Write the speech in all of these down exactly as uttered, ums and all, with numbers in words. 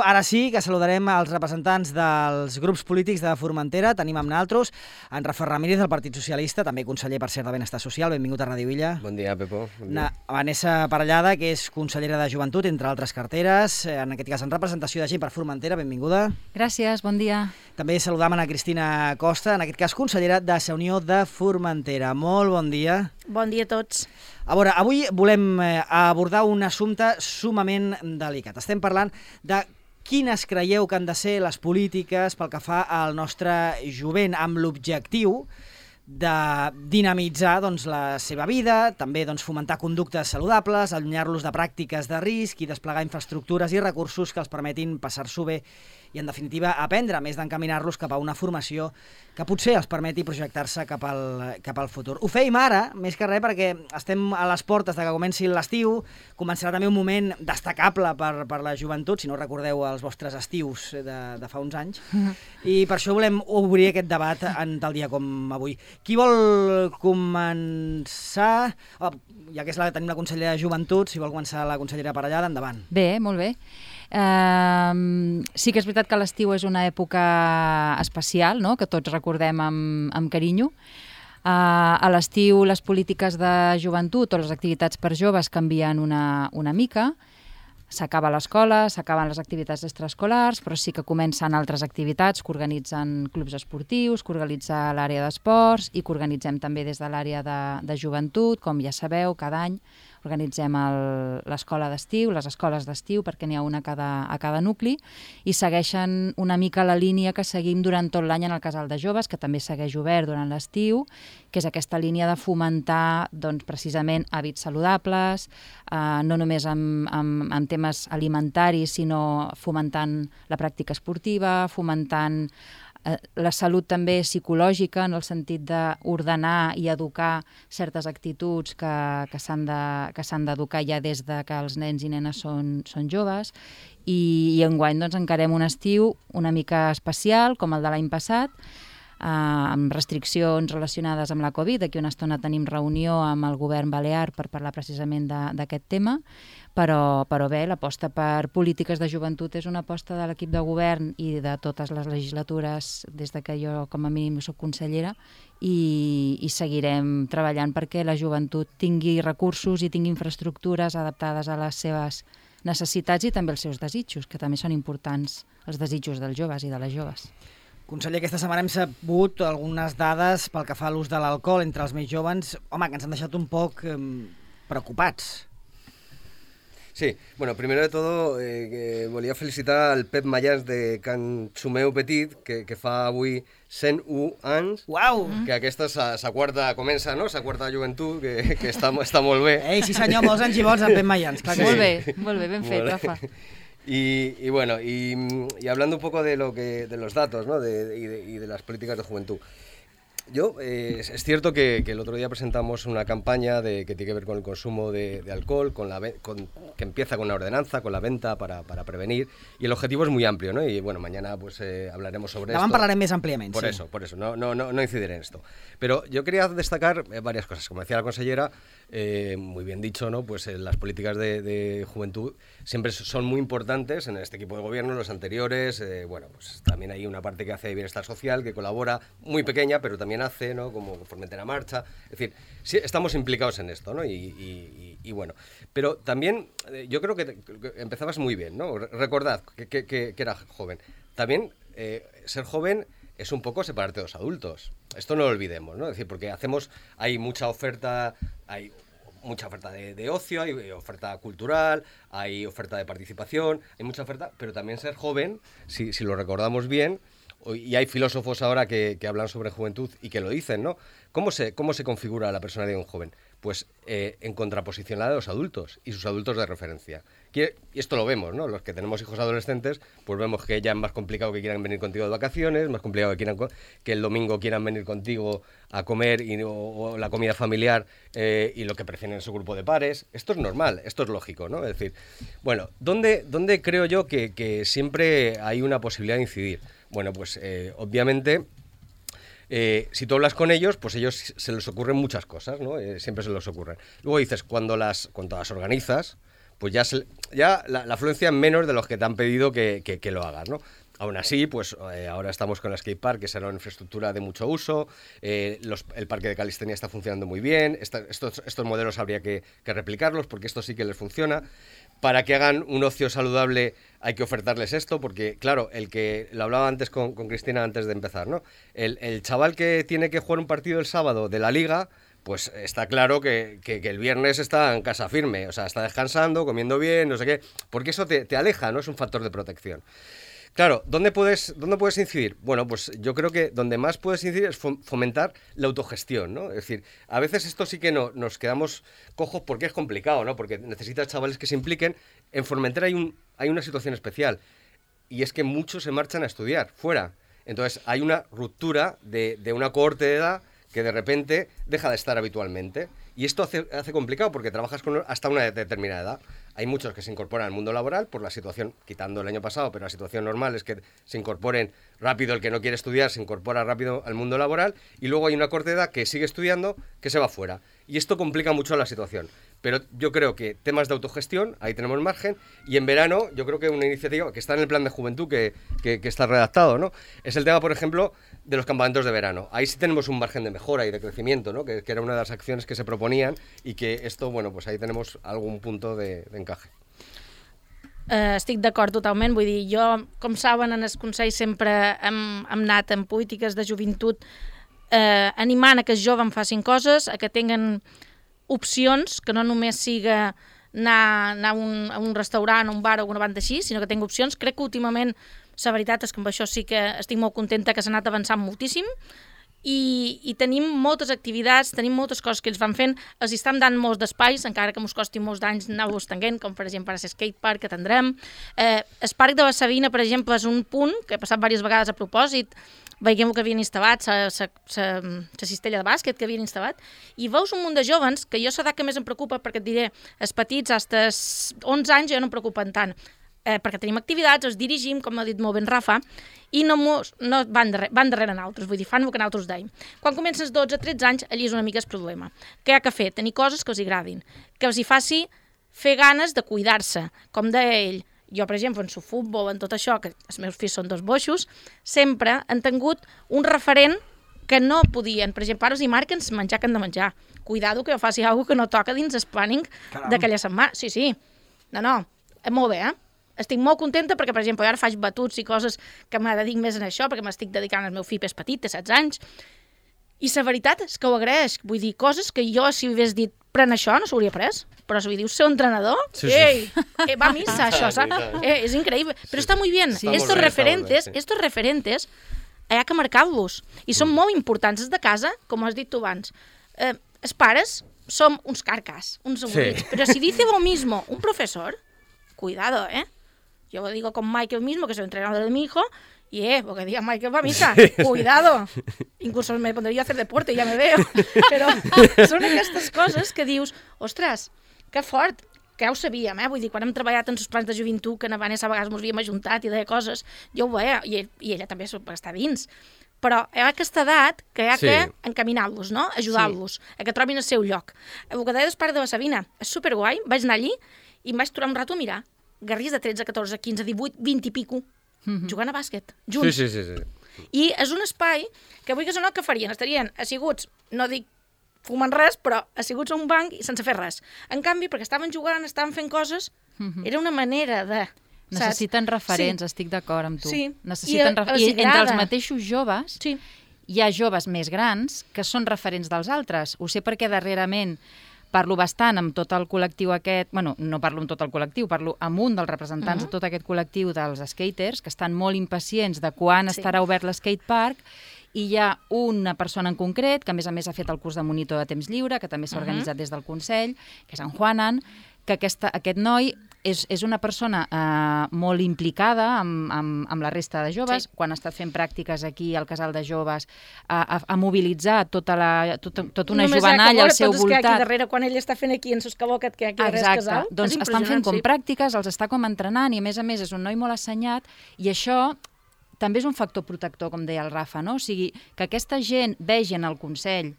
ara sí que saludarem els representants dels grups polítics de Formentera. Tenim amb nosaltres en Rafael Ramírez, del Partit Socialista, també conseller, per cert, de Benestar Social. Benvingut a Ràdio Illa. Bon dia, Pepo. Bon dia. Na, Vanessa Parellada, que és consellera de Joventut, entre altres carteres, en aquest cas en representació de gent per Formentera. Benvinguda. Gràcies, bon dia. També saludam a Cristina Costa, en aquest cas consellera de la Unió de Formentera. Molt bon dia. Bon dia a tots. A veure, avui volem abordar un assumpte sumament delicat. Estem parlant de quines creieu que han de ser les polítiques pel que fa al nostre jovent, amb l'objectiu de dinamitzar doncs, la seva vida, també doncs, fomentar conductes saludables, allunyar-los de pràctiques de risc i desplegar infraestructures i recursos que els permetin passar-s'ho bé i, en definitiva, aprendre, més d'encaminar-los cap a una formació que potser els permeti projectar-se cap al, cap al futur. Ho feim ara, més que res, perquè estem a les portes de que comenci l'estiu, començarà també un moment destacable per, per la joventut, si no recordeu els vostres estius de, de fa uns anys, i per això volem obrir aquest debat en tal dia com avui. Qui vol començar? Oh, ja que és la, tenim la consellera de Joventut, si vol començar la consellera Parellada, endavant. Bé, molt bé. Uh, sí que és veritat que l'estiu és una època especial, no?, que tots recordem amb, amb carinyo. Uh, a l'estiu les polítiques de joventut o les activitats per joves canvien una, una mica. S'acaba l'escola, s'acaben les activitats extraescolars, però sí que comencen altres activitats que organitzen clubs esportius, que organitza l'àrea d'esports i que organitzem també des de l'àrea de, de joventut. Com ja sabeu, cada any organitzem l'escola d'estiu, les escoles d'estiu, perquè n'hi ha una a cada, a cada nucli, i segueixen una mica la línia que seguim durant tot l'any en el casal de joves, que també segueix obert durant l'estiu, que és aquesta línia de fomentar doncs, precisament hàbits saludables, eh, no només amb, amb, amb temes alimentaris, sinó fomentant la pràctica esportiva, fomentant la salut també psicològica, en el sentit d'ordenar i educar certes actituds que, que s'han de, que s'han d'educar ja des de que els nens i nenes són, són joves. I, i enguany doncs, encarem un estiu una mica especial, com el de l'any passat, eh, amb restriccions relacionades amb la Covid. D'aquí una estona tenim reunió amb el govern balear per parlar precisament d'aquest tema. Però, però bé, l'aposta per polítiques de joventut és una aposta de l'equip de govern i de totes les legislatures des de que jo com a mínim soc consellera i, i seguirem treballant perquè la joventut tingui recursos i tingui infraestructures adaptades a les seves necessitats i també els seus desitjos, que també són importants, els desitjos dels joves i de les joves. Conseller, aquesta setmana hem sabut algunes dades pel que fa a l'ús de l'alcohol entre els més jóvens, home, que ens han deixat un poc eh, preocupats. Sí, bueno, primero de todo eh, que volia felicitar al Pep Mayans de Can Xumeu Petit, que, que fa avui cent u anys, Uau! que aquesta és la quarta, comença, no?, la quarta joventut, que, que està, està molt bé. Ei, sí senyor, molts anys i bons en Pep Mayans. Clar que Sí. sí. Molt bé, molt bé, ben fet, Molt bé. Rafa. Y, y bueno, y, y hablando un poco de lo que de los datos, ¿no?, de, y, de, y de las políticas de juventud. Yo, eh, es cierto que, que el otro día presentamos una campaña de, que tiene que ver con el consumo de, de alcohol, con la, con, que empieza con la ordenanza, con la venta para, para prevenir, y el objetivo es muy amplio, ¿no? Y bueno, mañana pues eh, hablaremos sobre Davant esto. parlarem més àmpliament, Por sí. eso, por eso, no, no, no, no incidiré en esto. Pero yo quería destacar eh, varias cosas. Como decía la consellera, eh, muy bien dicho, ¿no?, pues eh, las políticas de, de juventud siempre son muy importantes en este equipo de gobierno, los anteriores. Eh, bueno, pues también hay una parte que hace de bienestar social, que colabora, muy pequeña, pero también hace, ¿no?, como Formentera Marcha. Es decir, sí, estamos implicados en esto, ¿no? Y, y, y, y bueno, pero también eh, yo creo que, te, que empezabas muy bien, ¿no? Recordad que, que, que, que era joven. También eh, ser joven es un poco separarte de los adultos. Esto no lo olvidemos, ¿no? Es decir, porque hacemos, hay mucha oferta, hay mucha oferta de, de ocio, hay oferta cultural, hay oferta de participación, hay mucha oferta, pero también ser joven, si, si lo recordamos bien, y hay filósofos ahora que, que hablan sobre juventud y que lo dicen, ¿no? ¿Cómo se, cómo se configura la personalidad de un joven? Pues eh, en contraposición a la de los adultos y sus adultos de referencia. Y esto lo vemos, ¿no? Los que tenemos hijos adolescentes, pues vemos que ya es más complicado que quieran venir contigo de vacaciones, más complicado que, quieran, que el domingo quieran venir contigo a comer y, o, o la comida familiar eh, y lo que prefieren es su grupo de pares. Esto es normal, esto es lógico, ¿no? Es decir, bueno, ¿dónde, dónde creo yo que, que siempre hay una posibilidad de incidir? Bueno, pues eh, obviamente eh, si tú hablas con ellos, pues ellos se les ocurren muchas cosas, ¿no? Eh, siempre se les ocurren. Luego dices, cuando las, cuando las organizas, pues ya, se, ya la, la afluencia es menos de los que te han pedido que, que, que lo hagas, ¿no? Aún así, pues eh, ahora estamos con el skatepark, que será una infraestructura de mucho uso, eh, los, el parque de calistenia está funcionando muy bien, esta, estos, estos modelos habría que, que replicarlos, porque esto sí que les funciona. Para que hagan un ocio saludable hay que ofertarles esto, porque claro, el que lo hablaba antes con, con Cristina antes de empezar, ¿no? El, el chaval que tiene que jugar un partido el sábado de la liga, pues está claro que, que, que el viernes está en casa firme, o sea, está descansando, comiendo bien, no sé qué, porque eso te, te aleja, ¿no? Es un factor de protección. Claro, ¿dónde puedes, ¿dónde puedes incidir? Bueno, pues yo creo que donde más puedes incidir es fomentar la autogestión, ¿no? Es decir, a veces esto sí que no, nos quedamos cojos porque es complicado, ¿no? Porque necesitas chavales que se impliquen. En Formentera hay, un, hay una situación especial, y es que muchos se marchan a estudiar fuera. Entonces hay una ruptura de, de una cohorte de edad que de repente deja de estar habitualmente. Y esto hace, hace complicado porque trabajas con hasta una determinada edad. Hay muchos que se incorporan al mundo laboral por la situación, quitando el año pasado, pero la situación normal es que se incorporen rápido. El que no quiere estudiar se incorpora rápido al mundo laboral, y luego hay una corta edad que sigue estudiando que se va fuera. Y esto complica mucho la situación. Pero yo creo que temas de autogestión, ahí tenemos margen, y en verano yo creo que una iniciativa que está en el plan de juventud que, que, que está redactado, ¿no? Es el tema, por ejemplo, de los campamentos de verano. Ahí sí tenemos un margen de mejora y de crecimiento, ¿no? Que, que era una de las acciones que se proponían, y que esto, bueno, pues ahí tenemos algún punto de, de encaje. Uh, estic d'acord totalment, vull dir, jo, com saben, en el Consell sempre hem, hem anat en polítiques de joventut eh, animant a que els joves facin coses, a que tinguen opcions, que no només siga anar, anar a, un, a un restaurant, a un bar o una banda així, sinó que tingui opcions. Crec que últimament, la veritat és que amb això sí que estic molt contenta, que s'ha anat avançant moltíssim, i, i tenim moltes activitats, tenim moltes coses que ells van fent, els estan dant molts d'espais, encara que ens costi molts d'anys anar-los tenint, com per exemple ara el skatepark que tindrem. Eh, el parc de la Sabina, per exemple, és un punt que he passat diverses vegades a propòsit, veiem que havien instal·lat, la cistella de bàsquet que havien instal·lat, i veus un munt de jovens, que jo l'edat que més em preocupa, perquè et diré, els petits, fins onze anys ja no em preocupen tant, eh, perquè tenim activitats, els dirigim, com ha dit molt ben Rafa, i no, mos, no van, darrere, van darrere nosaltres, vull dir, fan el que nosaltres deim. Quan comencen els dotze a tretze anys, allí és una mica el problema. Què hi ha que fer? Tenir coses que els agradin, que els hi faci fer ganes de cuidar-se, com deia ell. Jo, per exemple, en el futbol, en tot això, que els meus fills són dos boixos, sempre han tingut un referent que no podien. Per exemple, ara els hi marquen menjar que han de menjar. Cuidado que jo faci alguna cosa que no toca dins el planning d'aquella setmana. Sí, sí. No, no. Molt bé, eh? Estic molt contenta perquè, per exemple, jo ara faig batuts i coses que me dedic més en això, perquè m'estic dedicant al meu fill, és petit, té setze anys, i la veritat és que ho agraeix. Vull dir, coses que jo, si hagués dit pren això, no s'hauria pres. Però si dius ser entrenador, sí, ei, sí. eh, va a missa, això, ¿sabes? Eh, és increïble. Però està molt bé. Sí, estos bien, referentes, bien, sí. estos referentes, hi ha que marcar-los. I són mm. molt importants. Els de casa, com has dit tu abans, eh, els pares som uns carcas, uns avorrits. Sí. Però si dice lo mismo un profesor, cuidado, ¿eh? Yo lo digo con Michael mismo, que es el entrenador de mi hijo, y eh, porque diga Michael va a misa, sí. Cuidado. Incluso me pondría a hacer deporte, ya me veo. Però són aquestes coses que dius, ostres, que fort, que ja ho sabíem, eh? Vull dir, quan hem treballat en els plans de joventut, que en Vanessa a vegades ens havíem ajuntat i deia coses, jo ho veia, i, ell, i ella també està dins. Però hi ha aquesta edat que hi ha sí. que encaminar-los, no? Ajudar-los, sí. a que trobin el seu lloc. El que deia del parc de la Sabina és superguai, vaig anar allí i em vaig aturar un rato a mirar. Garris de tretze, catorze, quinze, divuit, vint i pico, mm-hmm. jugant a bàsquet, junts. Sí, sí, sí, sí. I és un espai que avui que no, que farien? Estarien asseguts, no dic fumant res, però asseguts a un banc i sense fer res. En canvi, perquè estaven jugant, estaven fent coses, mm-hmm. era una manera de... Necessiten saps? referents, sí. estic d'acord amb tu. Sí. Necessiten I, ref... I entre els mateixos joves, sí. hi ha joves més grans que són referents dels altres. Ho sé perquè darrerament parlo bastant amb tot el col·lectiu aquest, bueno, no parlo amb tot el col·lectiu, parlo amb un dels representants uh-huh. de tot aquest col·lectiu dels skaters, que estan molt impacients de quan sí. estarà obert l'skatepark, i hi ha una persona en concret, que a més a més ha fet el curs de monitor de temps lliure, que també s'ha organitzat uh-huh. des del Consell, que és en Juanan, que aquesta, aquest noi és, és una persona eh, molt implicada amb, amb, amb la resta de joves. Sí. Quan ha estat fent pràctiques aquí al Casal de Joves, ha, ha, ha mobilitzat tota, la, tota, tota una només jovenalla al seu voltant. Només que aquí darrere, quan ell està fent aquí en Suscabocat, que aquí darrere és casal. Doncs estan fent com sí. pràctiques, els està com entrenant, i a més a més és un noi molt assenyat, i això també és un factor protector, com deia el Rafa, no? O sigui, que aquesta gent vegi en el Consell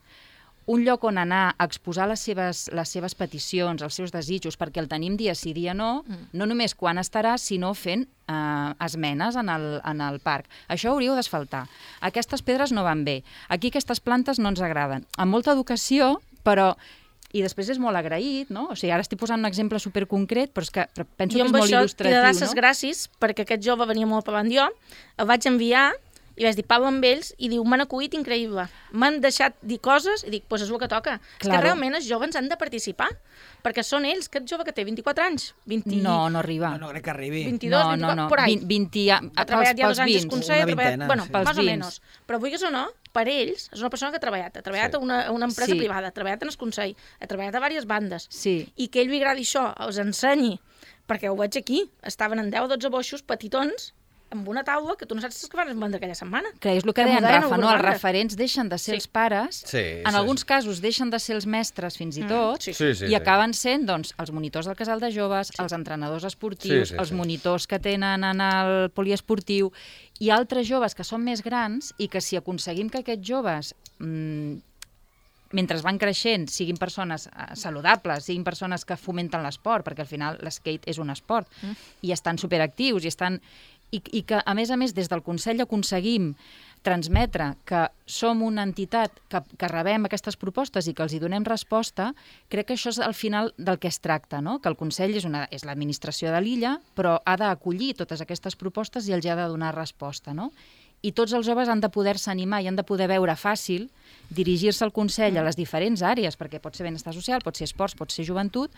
un lloc on anar a exposar les seves, les seves peticions, els seus desitjos, perquè el tenim dia sí, dia no, mm. no només quan estarà, sinó fent eh, esmenes en el, en el parc. Això hauríeu d'asfaltar. Aquestes pedres no van bé. Aquí aquestes plantes no ens agraden. Amb molta educació, però... I després és molt agraït, no? O sigui, ara estic posant un exemple superconcret, però és que però penso jo que és molt il·lustratiu, no? Jo amb això t'he de dar les gràcies, perquè aquest jove venia molt avant jo, el vaig enviar i vaig dir, parlo amb ells, i diu, m'han acollit increïble. M'han deixat dir coses, i dic, doncs és el que toca. Claro. És que realment els joves han de participar, perquè són ells, aquest jove que té vint-i-quatre anys, vint... No, no arriba. No, no crec que arribi. vint-i-dos, no, vint-i-quatre, no, no. por ahí. vint, ha treballat ja dos anys d'esconsell, ha treballat, bueno, sí. más o menos. Però vulguis o no, per ells, és una persona que ha treballat, ha treballat sí. a, una, a una empresa sí. privada, ha treballat en esconsell, ha treballat a diverses bandes, sí. i que ell li agradi això, els ensenyi, perquè ho veig aquí, estaven en deu o dotze boixos petitons, amb una taula que tu no saps què van vendre aquella setmana. Que és el que, que deien, Rafa, no? Els referents deixen de ser sí. els pares, sí, en sí, alguns sí. casos deixen de ser els mestres fins i tot, mm, sí. Sí, sí, i sí. acaben sent doncs, els monitors del casal de joves, sí. els entrenadors esportius, sí, sí, els sí. monitors que tenen en el poliesportiu, i altres joves que són més grans i que si aconseguim que aquests joves... Mmm, mentre van creixent, siguin persones saludables, siguin persones que fomenten l'esport, perquè al final l'skate és un esport, mm. i estan superactius, i estan... I, i que, a més a més, des del Consell aconseguim transmetre que som una entitat que, que rebem aquestes propostes i que els hi donem resposta, crec que això és al final del que es tracta, no? Que el Consell és, una, és l'administració de l'illa, però ha d'acollir totes aquestes propostes i els hi ha de donar resposta, no? I tots els joves han de poder-se animar i han de poder veure fàcil dirigir-se al Consell a les diferents àrees, perquè pot ser benestar social, pot ser esports, pot ser joventut,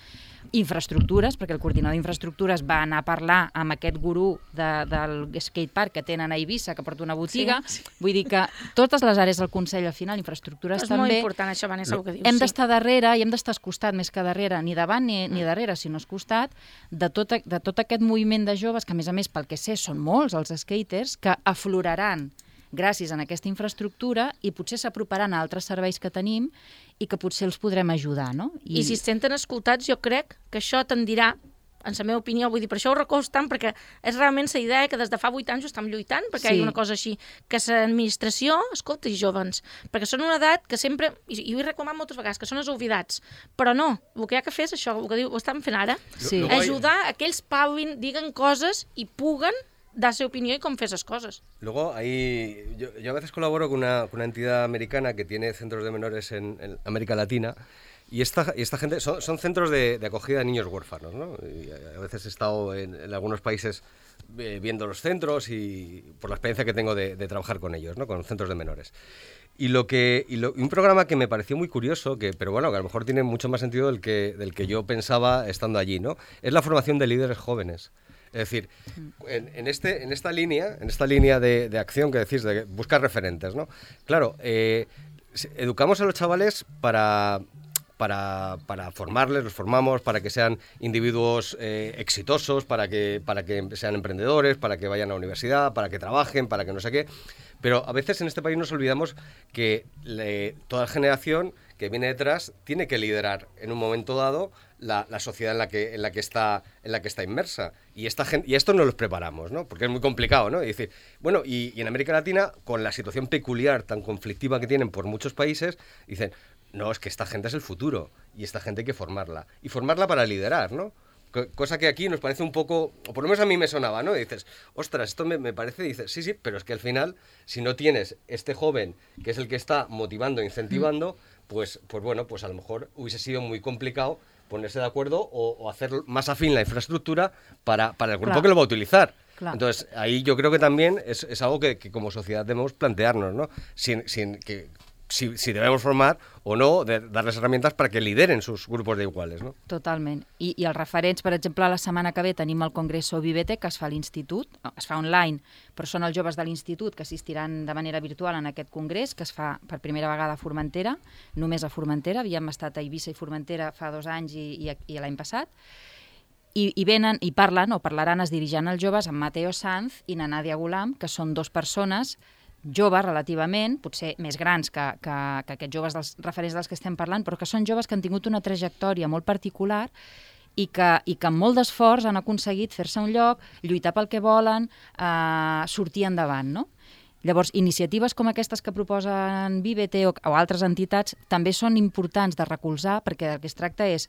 infraestructures, perquè el coordinador d'infraestructures va anar a parlar amb aquest gurú de, del skatepark que tenen a Eivissa, que porta una botiga. Sí, sí. Vull dir que totes les àrees del Consell, al final, infraestructures és també... És molt important això, Vanessa, el que dius. Hem sí. d'estar darrere i hem d'estar al costat més que darrere, ni davant ni, ni darrere, sinó al costat, de tot, de tot aquest moviment de joves, que a més a més, pel que sé, són molts els skaters, que afloraran gràcies a aquesta infraestructura i potser s'aproparan a altres serveis que tenim i que potser els podrem ajudar, no? I, I si es senten escoltats, jo crec que això tendirà, en la meva opinió, vull dir, per això ho recolzo tant, perquè és realment la idea que des de fa vuit anys ho estem lluitant, perquè sí. hi ha una cosa així, que l'administració escolta els jovens, perquè són una edat que sempre, i, i ho he reclamat moltes vegades, que són els oblidats, però no, el que hi ha que fer és això, el que diu, ho estan fent ara, sí. ajudar a que ells parlin, diguen coses i puguen dar su opinión y com fer esas cosas. Luego, ahí, yo, yo a veces colaboro con una, con una entidad americana que tiene centros de menores en, en América Latina, y esta, y esta gente son, son centros de, de acogida de niños huérfanos, ¿no? Y a veces he estado en, en algunos países eh, viendo los centros y por la experiencia que tengo de, de trabajar con ellos, ¿no? Con centros de menores. Y lo que y lo, un programa que me pareció muy curioso, que pero bueno, que a lo mejor tiene mucho más sentido del que, del que yo pensaba estando allí, ¿no? Es la formación de líderes jóvenes. Es decir, en, en, este, en esta línea, en esta línea de, de acción que decís, de buscar referentes, ¿no? Claro, eh, educamos a los chavales para, para, para formarles, los formamos para que sean individuos eh, exitosos, para que, para que sean emprendedores, para que vayan a la universidad, para que trabajen, para que no sé qué. Pero a veces en este país nos olvidamos que le, toda generación que viene detrás tiene que liderar en un momento dado la, la sociedad en la que en la que está en la que está inmersa, y esta gente, y esto no los preparamos, ¿no? Porque es muy complicado, ¿no? Y decir, bueno, y, y en América Latina, con la situación peculiar tan conflictiva que tienen por muchos países, dicen, no, es que esta gente es el futuro y esta gente hay que formarla y formarla para liderar, ¿no? Cosa que aquí nos parece un poco, o por lo menos a mí me sonaba, ¿no? Y dices, ostras, esto me, me parece, y dices, sí, sí, pero es que al final, si no tienes este joven, que es el que está motivando, incentivando, pues, pues bueno, pues a lo mejor hubiese sido muy complicado ponerse de acuerdo o, o hacer más afín la infraestructura para, para el grupo claro. que lo va a utilizar. Claro. Entonces, ahí yo creo que también es, es algo que, que como sociedad debemos plantearnos, ¿no? Sin, sin que... Si, si debemos formar o no, de darles herramientas para que lideren sus grupos de iguales, no? Totalment. I, i els referents, per exemple, la setmana que ve tenim el Congreso Vivete, que es fa a l'Institut, es fa online, però són els joves de l'Institut que assistiran de manera virtual en aquest congrés, que es fa per primera vegada a Formentera, només a Formentera, havíem estat a Eivissa i Formentera fa dos anys i, i, i l'any passat, I, i venen i parlen, o parlaran, es dirigiran als joves amb Mateo Sanz i na Nadia Gulam, que són dos persones joves relativament, potser més grans que, que, que aquests joves dels referents dels que estem parlant, però que són joves que han tingut una trajectòria molt particular i que, i que amb molt d'esforç han aconseguit fer-se un lloc, lluitar pel que volen, eh, sortir endavant, no? Llavors, iniciatives com aquestes que proposen Vivete o, o altres entitats també són importants de recolzar, perquè el que es tracta és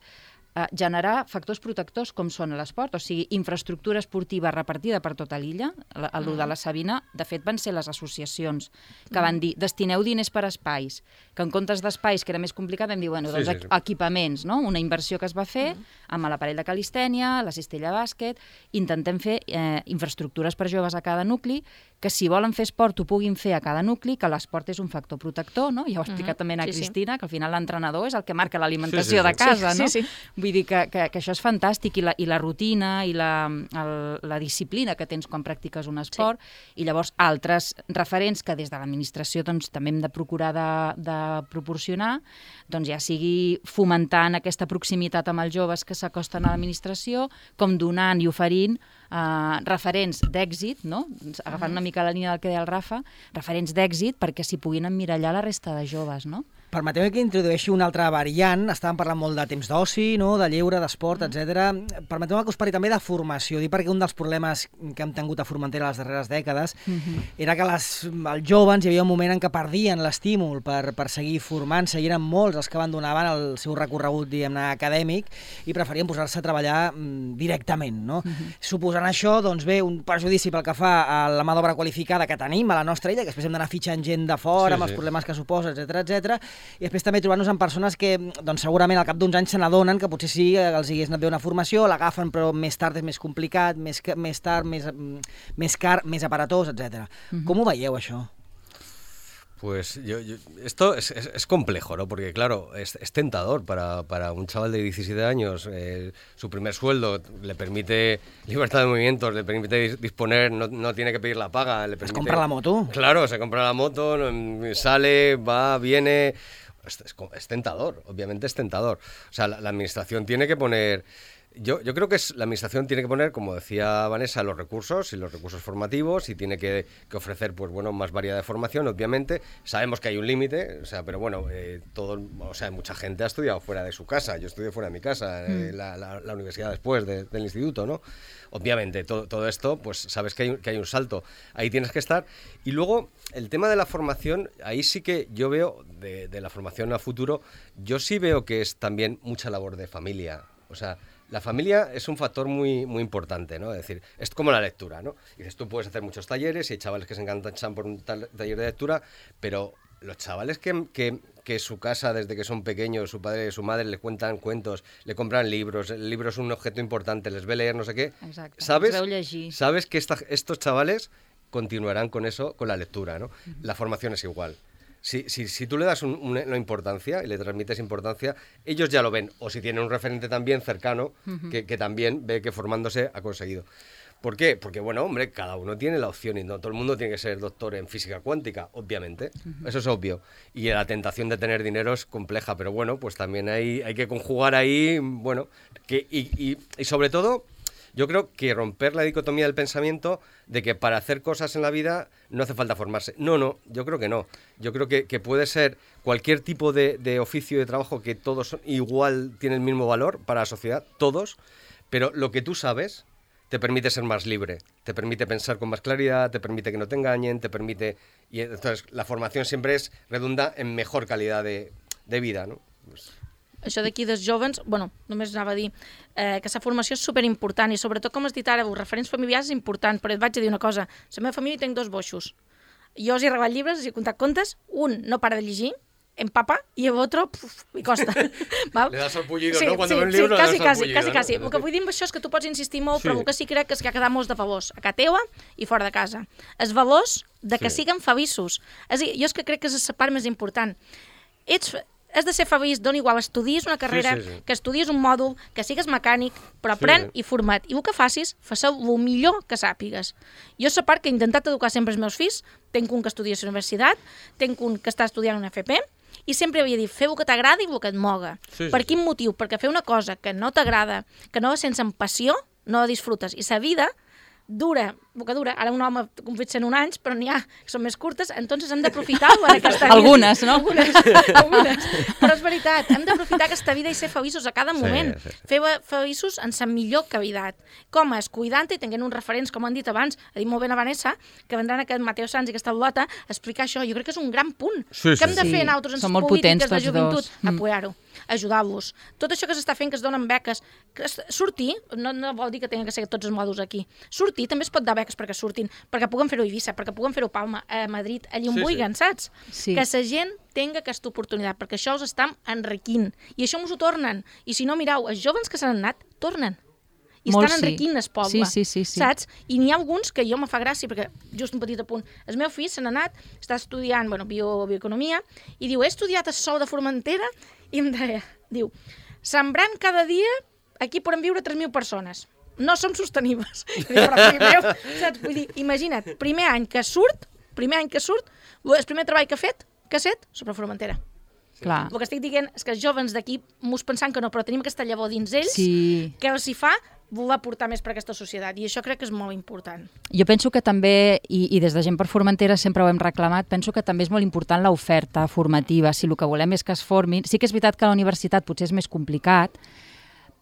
eh, generar factors protectors com són l'esport, o sigui, infraestructura esportiva repartida per tota l'illa. El mm. de la Sabina, de fet, van ser les associacions que van dir, destineu diners per espais, que en comptes d'espais, que era més complicat, vam dir, bueno, doncs sí, sí, sí. equipaments, no? Una inversió que es va fer mm. amb l'aparell de calistènia, la cistella bàsquet, intentem fer eh, infraestructures per joves a cada nucli, que si volen fer esport ho puguin fer a cada nucli, que l'esport és un factor protector, no? Ja ho ha explicat mm-hmm. també a sí, Cristina, sí. que al final l'entrenador és el que marca l'alimentació sí, sí, sí. de casa, sí, no? Sí, sí. Vull dir que, que, que això és fantàstic, i la, i la rutina i la, el, la disciplina que tens quan practiques un esport, sí. i llavors altres referents que des de l'administració doncs, també hem de procurar de, de proporcionar, doncs ja sigui fomentant aquesta proximitat amb els joves que s'acosten a l'administració, com donant i oferint Uh, referents d'èxit, no? Agafant una mica la línia del que deia el Rafa, referents d'èxit perquè s'hi puguin emmirallar la resta de joves, no? Permeteu que introdueixi una altra variant. Estàvem parlant molt de temps d'oci, no? De lleure, d'esport, mm. etcètera. Permeteu que us parli també de formació. Dic perquè un dels problemes que hem tingut a Formentera les darreres dècades mm-hmm. era que les, els joves hi havia un moment en què perdien l'estímul per, per seguir formant-se, i eren molts els que abandonaven el seu recorregut, diguem-ne, acadèmic, i preferien posar-se a treballar mm, directament, no? Mm-hmm. Suposant això, doncs bé, un perjudici pel que fa a la mà d'obra qualificada que tenim a la nostra illa, que després hem d'anar fitxant gent de fora, sí, amb els sí. problemes que suposa, etcètera, etcètera. I després també trobar-nos amb persones que doncs, segurament al cap d'uns anys se n'adonen que potser sí els hagués anat bé una formació, l'agafen però més tard és més complicat, més, més tard, més, més car, més aparatós, etcètera. Mm-hmm. Com ho veieu, això? Pues yo, yo, esto es, es, es complejo, ¿no? Porque claro, es, es tentador para, para un chaval de diecisiete años. Eh, su primer sueldo le permite libertad de movimientos, le permite disponer, no, no tiene que pedir la paga. Le permite, ¿Se compra la moto? Claro, se compra la moto, sale, va, viene. Es, es, es tentador, obviamente es tentador. O sea, la, la administración tiene que poner... Yo, yo creo que es, la administración tiene que poner, como decía Vanessa, los recursos y los recursos formativos, y tiene que, que ofrecer pues bueno, más variedad de formación, obviamente. Sabemos que hay un límite, o sea, pero bueno, eh, todo, o sea, mucha gente ha estudiado fuera de su casa. Yo estudié fuera de mi casa, mm. eh, la, la, la universidad después de, del instituto, ¿no? Obviamente, todo, todo esto, pues sabes que hay, que hay un salto. Ahí tienes que estar. Y luego, el tema de la formación, ahí sí que yo veo, de, de la formación a futuro, yo sí veo que es también mucha labor de familia. O sea, la familia es un factor muy, muy importante, ¿no? Es decir, es como la lectura, ¿no? Y dices, tú puedes hacer muchos talleres y hay chavales que se enganchan por un tal, taller de lectura, pero los chavales que, que, que su casa, desde que son pequeños, su padre y su madre le cuentan cuentos, le compran libros, el libro es un objeto importante, les ve leer, no sé qué. Exacte. ¿Sabes? Sabes que esta, estos chavales continuarán con eso, con la lectura, ¿no? Uh-huh. La formación es igual. Si, si, si tú le das un, un, una importancia y le transmites importancia, ellos ya lo ven. O si tienen un referente también cercano, uh-huh. que, que también ve que formándose ha conseguido. ¿Por qué? Porque, bueno, hombre, cada uno tiene la opción y no todo el mundo tiene que ser doctor en física cuántica, obviamente. Uh-huh. Eso es obvio. Y la tentación de tener dinero es compleja, pero bueno, pues también hay, hay que conjugar ahí, bueno, que, y, y, y sobre todo... Yo creo que romper la dicotomía del pensamiento de que para hacer cosas en la vida no hace falta formarse. No, no, yo creo que no. Yo creo que, que puede ser cualquier tipo de, de oficio y de trabajo que todos son, igual tienen el mismo valor para la sociedad, todos, pero lo que tú sabes te permite ser más libre, te permite pensar con más claridad, te permite que no te engañen, te permite... Y entonces la formación siempre es redunda en mejor calidad de, de vida, ¿no? Pues... Això d'aquí dels jovens, bueno, només anava a dir eh, que la formació és superimportant i sobretot, com has dit ara, els referents familiars és important, però et vaig a dir una cosa, la meva família tinc dos boixos. Jo els he regalat llibres, els he contat contes, un no para de llegir, empapa, i el otro, puf, li costa. Val? Le das el pullido, sí, no? Quan sí, ve un sí, llibre, quasi, le das el quasi, pullido. quasi, quasi. No? El que vull dir amb això és que tu pots insistir molt, sí. però el que sí crec és que ha quedat molts de favors, a casa teua i fora de casa. Els valors de que sí. siguen feliços. És a dir, jo és que crec que és la part més important. Ets... Has de ser feliç, dona igual, estudies una carrera, sí, sí, sí. que estudies un mòdul, que sigues mecànic, però aprèn sí. i format. I el que facis, fas-ho el millor que sàpigues. Jo és la part que he intentat educar sempre els meus fills, tenc un que estudia a la universitat, tenc un que està estudiant una F P, i sempre havia dit, feu el que t'agrada i el que et moga. Sí, per sí, quin sí. motiu? Perquè fer una cosa que no t'agrada, que no la sents amb passió, no la disfrutes. I la vida dura bocadura. Ara un home com fet cent un anys, però n'hi ha que són més curtes, entonces hem d'aprofitar-ho en aquesta vida. Algunes, no? Algunes, algunes. Però és veritat, hem d'aprofitar aquesta vida i ser feliços a cada moment. Sí, sí, sí. Fer feliços en sa millor cavitat. Com és? Cuidant-te i tenint uns referents, com han dit abans, ha dit molt bé la Vanessa, que vendran aquest Mateo Sanz i aquesta Lota a explicar això. Jo crec que és un gran punt. Sí, sí, que hem de sí. fer nosaltres en Són les molt potents polítiques de tots joventut, dos. Mm. apoyar-ho, ajudar-los. Tot això que s'està fent, que es donen beques, que es- sortir, no, no vol dir que tinguin que ser tots els mòduls aquí, sortir també es pot dar beques perquè surtin, perquè puguen fer-ho a Eivissa, perquè puguen fer-ho a Palma, a Madrid, allà on Sí, sí. vulguin, saps? Sí. Que la gent tinga aquesta oportunitat, perquè això us està enriquint, i això ens ho tornen. I si no, mireu, els joves que s'han anat, tornen. I Molt estan sí. enriquint el poble, Sí, sí, sí, sí. saps? I n'hi ha alguns que jo me fa gràcia, perquè just un petit apunt, el meu fill se n'ha anat, està estudiant bueno, bio, bioeconomia, i diu, he estudiat a Sol de Formentera, i em deia, diu, sembrant cada dia, aquí podem viure tres mil persones. No som sostenibles. I diu, però, fill meu, saps? Vull dir, imagina't, primer any que surt, primer any que surt, el primer treball que ha fet, que ha set, sobre Formentera. Clar. El que estic dient és que els jovens d'aquí mos pensant que no, però tenim aquesta llavor dins ells, Sí. que els hi fa voler portar més per aquesta societat, i això crec que és molt important. Jo penso que també, i, i des de Gent per Formentera sempre ho hem reclamat, penso que també és molt important l'oferta formativa, si el que volem és que es formin. Sí que és veritat que a la universitat potser és més complicat,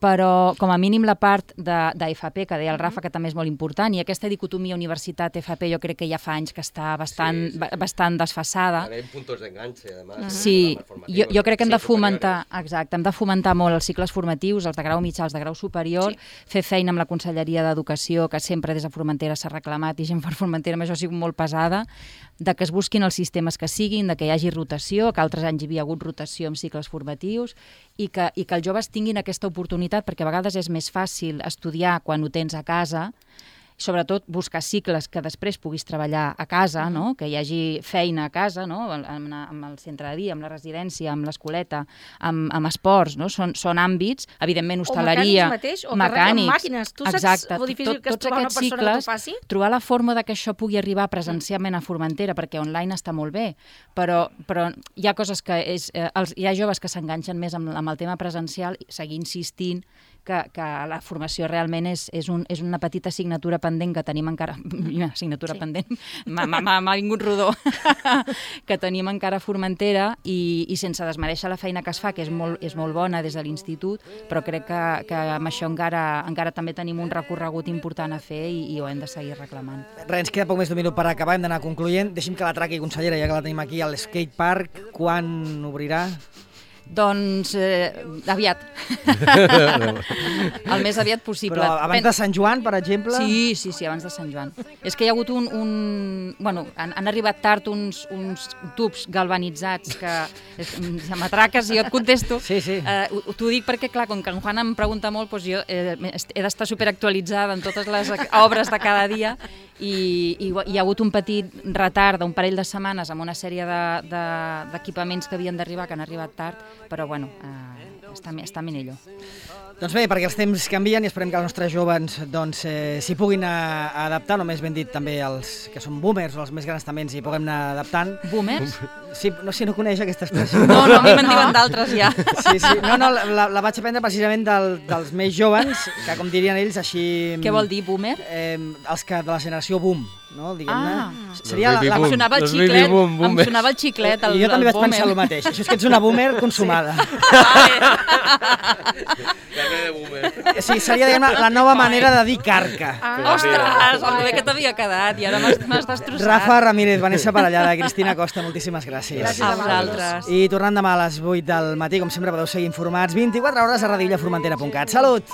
però com a mínim la part d'F P, que deia el Rafa, que també és molt important, i aquesta dicotomia universitat-F P jo crec que ja fa anys que està bastant, Sí, sí. ba- bastant desfasada. Hay puntos de enganche, además. Sí, jo, jo crec que hem Sí, de fomentar, superiores. exacte, hem de fomentar molt els cicles formatius, els de grau mitjà, els de grau superior, Sí. fer feina amb la Conselleria d'Educació, que sempre des de Formentera s'ha reclamat, i Gent per Formentera amb això ha sigut molt pesada, de que es busquin els sistemes que siguin, de que hi hagi rotació, que altres anys hi havia hagut rotació amb cicles formatius, i que, i que els joves tinguin aquesta oportunitat, perquè a vegades és més fàcil estudiar quan ho tens a casa, sobretot buscar cicles que després puguis treballar a casa, no? Que hi hagi feina a casa, no? amb, amb el centre de dia, amb la residència, amb l'escoleta, amb, amb esports, no? Són, són àmbits, evidentment hostaleria, O mecànics mateix, o que arreglen màquines. Tu saps exacte, lo difícil que és tots trobar una aquests persona que t'ho cicles, faci? trobar la forma de que això pugui arribar presencialment a Formentera, perquè online està molt bé, però, però hi ha coses que és, eh, els, hi ha joves que s'enganxen més amb, amb el tema presencial, i seguir insistint que, que la formació realment és, és, un, és una petita assignatura pendent que tenim encara... assignatura Sí. pendent, m'ha vingut rodó, que tenim encara a Formentera, i, i sense desmereixer la feina que es fa, que és molt, és molt bona des de l'institut, però crec que, que amb això encara, encara també tenim un recorregut important a fer, i, i ho hem de seguir reclamant. Res, ens queda poc més d'un minut per acabar, hem d'anar concloent. Deixi'm que la traqui, consellera, ja que la tenim aquí, al skate park. Quan obrirà? Doncs eh, aviat. El més aviat possible. Però abans de Sant Joan, per exemple? Sí, sí, sí, abans de Sant Joan. És que hi ha hagut un... un bueno, han, han arribat tard uns, uns tubs galvanitzats que... Se m'atraques i jo et contesto. Sí, sí. Eh, T'ho dic perquè, clar, com que en Juan em pregunta molt, doncs jo eh, he d'estar superactualitzada en totes les obres de cada dia, i, i hi ha hagut un petit retard d'un parell de setmanes amb una sèrie d'equipaments de, de, que havien d'arribar, que han arribat tard, però bueno, eh, està, està millor. Doncs bé, perquè els temps canvien i esperem que els nostres joves doncs, eh, s'hi puguin a, a adaptar, només ben dit també els que són boomers o els més grans també ens hi puguem anar adaptant. Boomers? Sí, no, si no coneix aquesta expressió. No, no, a mi me'n diuen d'altres ja. Sí, sí. No, no, la, la vaig aprendre precisament del, dels més joves, que com dirien ells, així... Què vol dir, boomer? Eh, els que de la generació boom, no? Diguem-ne. Ah. Seria la, la... Em sonava el Los xiclet, baby boom, em boomers. sonava el xiclet, el, I jo també el vaig boomer. pensar el mateix. Això és que ets una boomer consumada. Carne de boomer. Sí, seria diguem, la nova manera de dir carca. Ah, ostres, el bé que t'havia quedat, i ara m'has m'has destrossat. Rafa Ramírez, Vanessa Parellada, Cristina Costa, moltíssimes gràcies. Gràcies A a vosaltres. I tornant demà a les vuit del matí, com sempre podeu seguir informats, vint-i-quatre hores a radiolaformentera punt cat. Salut!